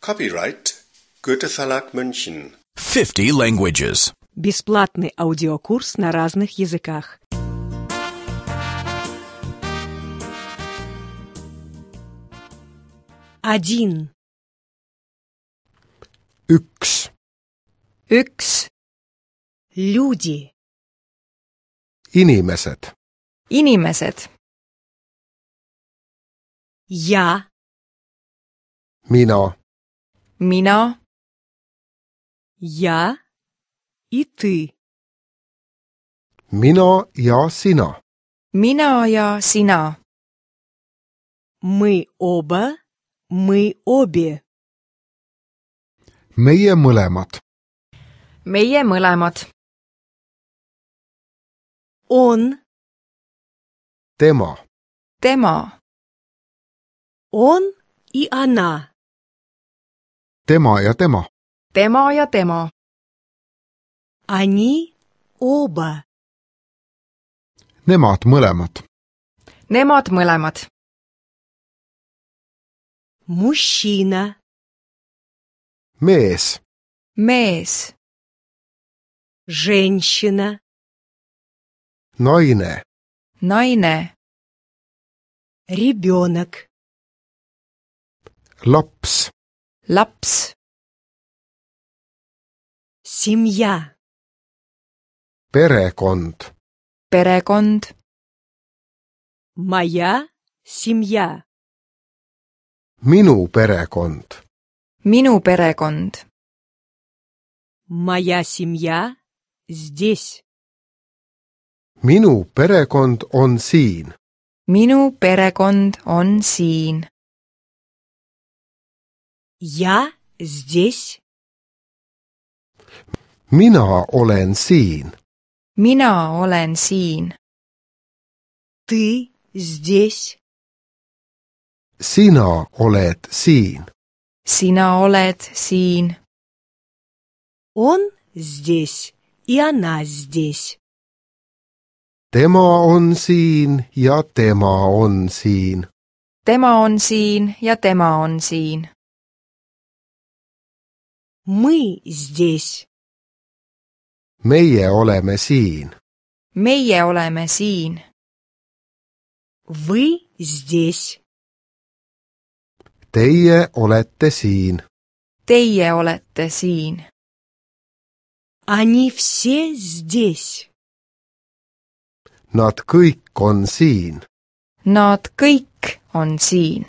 Copyright Goethe Verlag München. 50 languages. Бесплатный аудиокурс на разных языках. Один. Üks. Üks. Люди. Inimesed. Inimesed. Я. Mina. Mina. Я и ты. Mina ja sina. Mina ja sina. Мы оба. Мы обе. Meie mõlemad. Meie mõlemad. Он. Tema. Tema. Он и она. Tema ja tema. Tema ja tema. Они оба. Nemad mõlemad. Nemad mõlemad. Мужчина. Mees. Mees. Женщина. Naine. Naine. Ребенок. Laps. Laps. Семья. Perekond. Perekond. Моя семья. Minu perekond. Minu perekond. Моя семья здесь. Minu perekond on siin. Minu perekond on siin. Я здесь. Mina olen siin. Mina olen siin. Ты здесь. Sina oled siin. Sina oled siin. Он здесь, и она здесь. Tema on siin ja tema on siin. Tema on siin ja tema on siin. Мы здесь. Meie oleme siin. Meie oleme siin. Вы здесь. Teie olete siin. Teie olete siin. Они все здесь. Nad kõik on siin. Nad kõik on siin.